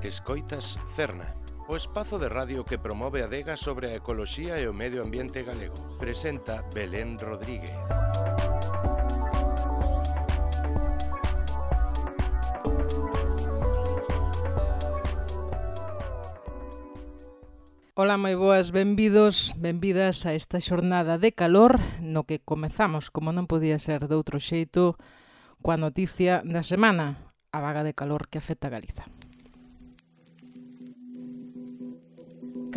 Escoitas Cerna, o espazo de radio que promove a adega sobre a ecoloxía e o medio ambiente galego. Presenta Belén Rodríguez. Ola, moi boas, benvidos, benvidas a esta xornada de calor no que comezamos, como non podía ser de outro xeito, coa noticia da semana, a vaga de calor que afecta a Galiza.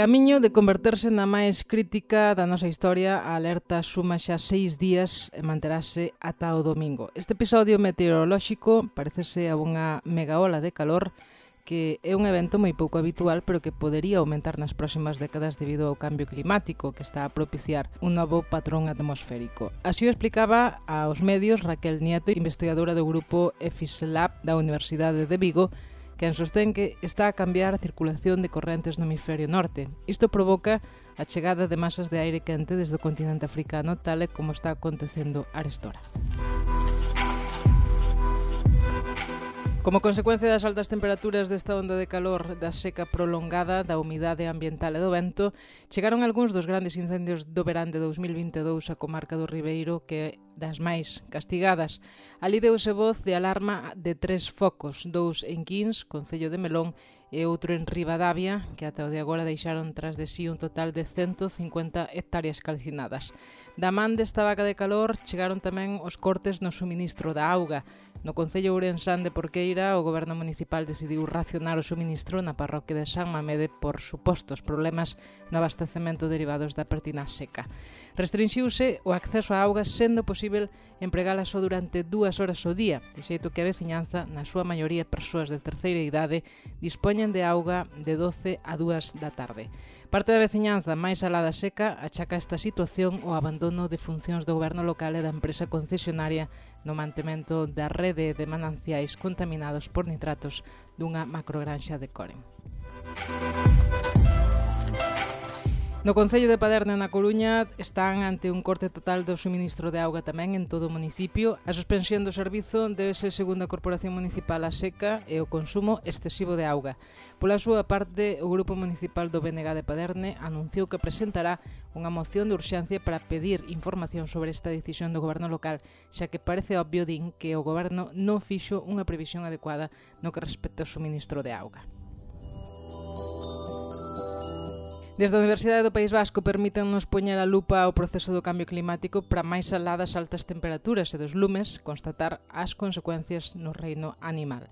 Camiño de converterse na máis crítica da nosa historia, a alerta suma xa 6 días e manterase ata o domingo. Este episodio meteorolóxico parecese a unha mega ola de calor que é un evento moi pouco habitual, pero que podería aumentar nas próximas décadas debido ao cambio climático que está a propiciar un novo patrón atmosférico. Así o explicaba aos medios Raquel Nieto, investigadora do grupo EFISLab da Universidade de Vigo, quen sostén que está a cambiar a circulación de correntes no hemisferio norte. Isto provoca a chegada de masas de aire quente desde o continente africano, tal e como está acontecendo arestora. Como consecuencia das altas temperaturas desta onda de calor, da seca prolongada, da humidade ambiental e do vento, chegaron algúns dos grandes incendios do verán de 2022 a comarca do Ribeiro, que é das máis castigadas. Ali deuse voz de alarma de 3 focos, 2 en Quins, concello de Melón, e outro en Ribadavia, que ata o de agora deixaron tras de sí un total de 150 hectáreas calcinadas. Da man desta vaga de calor chegaron tamén os cortes no suministro da auga. No concello ourensán de Porqueira, o goberno municipal decidiu racionar o suministro na parroquia de San Mamede por supostos problemas no abastecemento derivados da pertinaz seca. Restrinxiuse o acceso á auga, sendo posible empregala só durante 2 horas ao día, de xeito que a veciñanza, na súa maioría persoas de terceira idade, dispoñen de auga de 12 a 2 da tarde. Parte da veciñanza máis alada seca achaca esta situación ao abandono de funcións do goberno local e da empresa concesionaria no mantemento da rede de mananciais contaminados por nitratos dunha macrogranxa de Coren. No concello de Paderne, na Coruña, están ante un corte total do suministro de auga tamén en todo o municipio. A suspensión do servizo débese, segundo a Corporación Municipal, a seca e o consumo excesivo de auga. Pola súa parte, o Grupo Municipal do BNG de Paderne anunciou que presentará unha moción de urxencia para pedir información sobre esta decisión do goberno local, xa que parece obvio, din, que o goberno non fixo unha previsión adecuada no que respecta ao suministro de auga. Desde a Universidade do País Vasco permítennos poñer a lupa ao proceso do cambio climático para máis alá das altas temperaturas e dos lumes constatar as consecuencias no reino animal.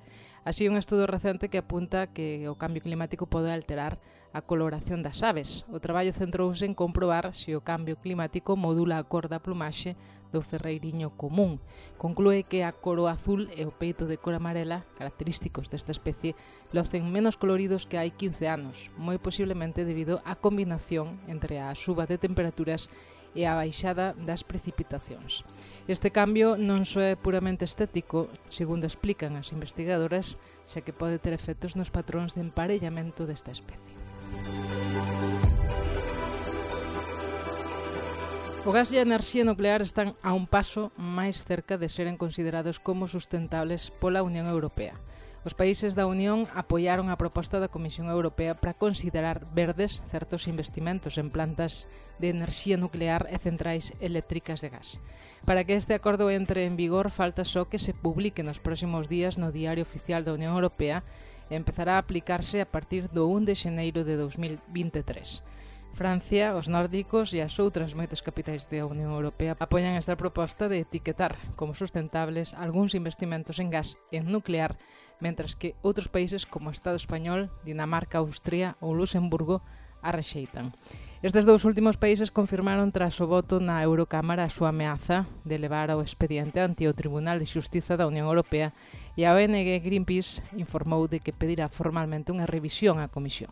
Así, un estudo recente que apunta que o cambio climático pode alterar a coloración das aves. O traballo centrouse en comprobar se o cambio climático modula a cor da plumaxe do ferreiriño común. Conclúe que a coro azul e o peito de cor amarela, característicos desta especie, locen menos coloridos que hai 15 anos, moi posiblemente debido á combinación entre a suba de temperaturas e a baixada das precipitacións. Este cambio non só é puramente estético, segundo explican as investigadoras, xa que pode ter efectos nos patróns de emparellamento desta especie. O gas e a enerxía nuclear están a un paso máis cerca de seren considerados como sustentables pola Unión Europea. Os países da Unión apoiaron a proposta da Comisión Europea para considerar verdes certos investimentos en plantas de enerxía nuclear e centrais eléctricas de gas. Para que este acordo entre en vigor, falta só que se publique nos próximos días no Diario Oficial da Unión Europea e empezará a aplicarse a partir do 1 de xaneiro de 2023. Francia, os nórdicos e as outras moitas capitais da Unión Europea apoian esta proposta de etiquetar como sustentables algúns investimentos en gas e en nuclear, mentras que outros países como o Estado español, Dinamarca, Austria ou Luxemburgo a rexeitan. Estes dous últimos países confirmaron tras o voto na Eurocámara a súa ameaza de levar ao expediente ante o Tribunal de Xustiza da Unión Europea e a ONG Greenpeace informou de que pedirá formalmente unha revisión á Comisión.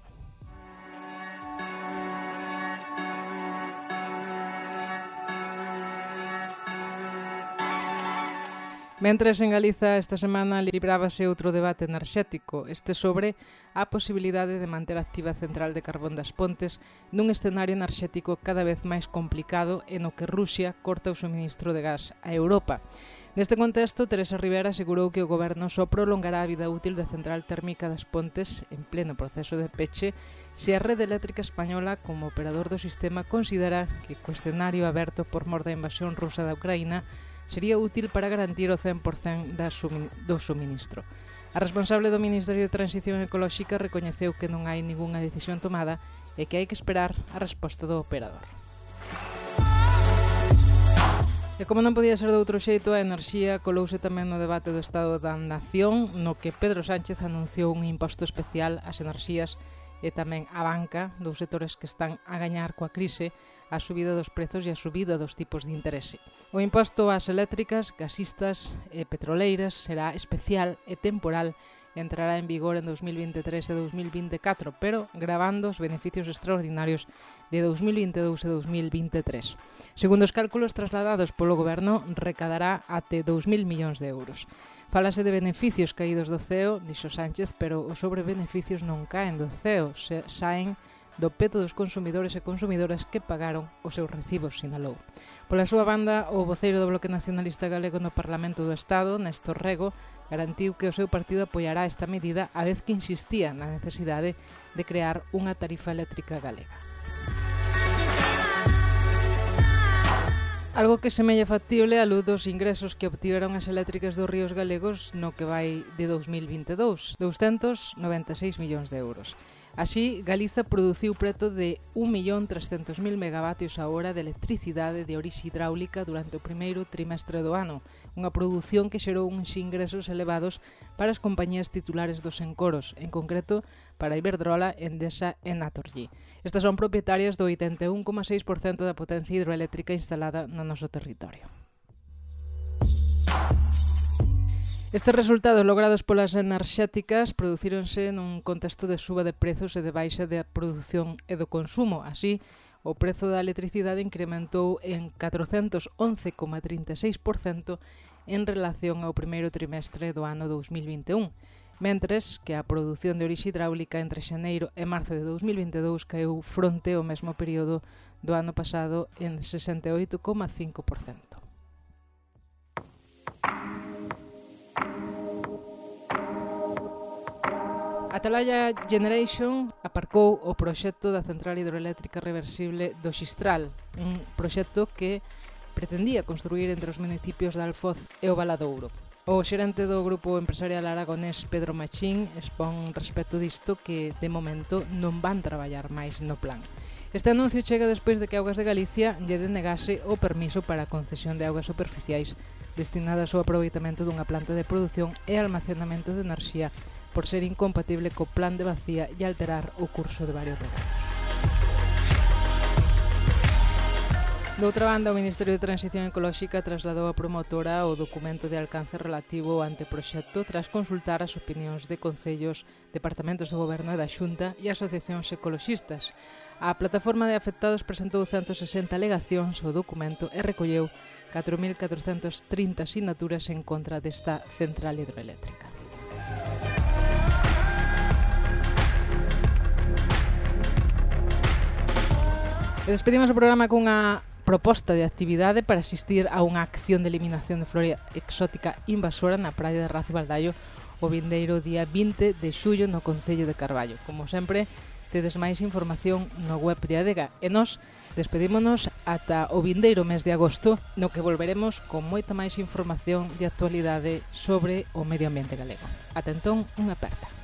Mentres en Galiza esta semana librábase outro debate enerxético, este sobre a posibilidade de manter activa a central de carbón das Pontes nun escenario enerxético cada vez máis complicado e no que Rusia corta o suministro de gas a Europa. Neste contexto, Teresa Rivera asegurou que o goberno só prolongará a vida útil da central térmica das Pontes en pleno proceso de peche se a rede eléctrica española, como operador do sistema, considera que o escenario aberto por mor da invasión rusa da Ucraína sería útil para garantir o 100% do suministro. A responsable do Ministerio de Transición Ecolóxica recoñeceu que non hai ningunha decisión tomada e que hai que esperar a resposta do operador. E como non podía ser de outro xeito, a enerxía colouse tamén no debate do Estado da Nación, no que Pedro Sánchez anunciou un imposto especial ás enerxías e tamén a banca, dos sectores que están a gañar coa crise, a subida dos prezos e a subida dos tipos de interese. O imposto ás eléctricas, gasistas e petroleiras será especial e temporal e entrará en vigor en 2023 e 2024, pero gravando os beneficios extraordinarios de 2022 e 2023. Segundo os cálculos trasladados polo Goberno, recadará até 2.000 millóns de euros. Fálase de beneficios caídos do ceo, dixo Sánchez, pero os sobrebeneficios non caen do ceo, saen do peto dos consumidores e consumidoras que pagaron os seus recibos, sinalou. Pola súa banda, o voceiro do Bloque Nacionalista Galego no Parlamento do Estado, Néstor Rego, garantiu que o seu partido apoiará esta medida a vez que insistía na necesidade de crear unha tarifa eléctrica galega. Algo que semella factible á luz dos ingresos que obtiveron as eléctricas dos ríos galegos no que vai de 2022, 296 millóns de euros. Así, Galiza produciu preto de 1.300.000 megavatios a hora de electricidade de orixe hidráulica durante o primeiro trimestre do ano, unha produción que xerou uns ingresos elevados para as compañías titulares dos encoros, en concreto para Iberdrola, Endesa e Naturgy. Estas son propietarias do 81,6% da potencia hidroeléctrica instalada no noso territorio. Estes resultados logrados polas enerxéticas producíronse nun contexto de suba de prezos e de baixa da produción e do consumo. Así, o prezo da electricidade incrementou en 411,36% en relación ao primeiro trimestre do ano 2021, mentres que a produción de orixe hidráulica entre xaneiro e marzo de 2022 caeu fronte ao mesmo período do ano pasado en 68,5%. Atalaya Generation aparcou o proxecto da central hidroeléctrica reversible do Xistral, un proxecto que pretendía construir entre os municipios de Alfoz e o Valadouro. O xerente do grupo empresarial aragonés Pedro Machín expón respecto disto que, de momento, non van traballar máis no plan. Este anuncio chega despois de que Augas de Galicia lle denegase o permiso para a concesión de augas superficiais destinadas ao aproveitamento dunha planta de produción e almacenamento de enerxía por ser incompatible co plan de vacía e alterar o curso de varios regalos. Doutra banda, o Ministerio de Transición Ecolóxica trasladou a promotora o documento de alcance relativo ao anteproxecto tras consultar as opinións de concellos, departamentos do Goberno e da Xunta e asociacións ecoloxistas. A plataforma de afectados presentou 160 alegacións ao documento e recolleu 4.430 sinaturas en contra desta central hidroeléctrica. E despedimos o programa cunha proposta de actividade para asistir a unha acción de eliminación de flora exótica invasora na praia de Razo Baldaio o vindeiro día 20 de xullo no Concello de Carballo. Como sempre, tedes máis información no web de Adega e nós despedímonos ata o vindeiro mes de agosto, no que volveremos con moita máis información de actualidade sobre o medio ambiente galego. Ata entón, unha aperta.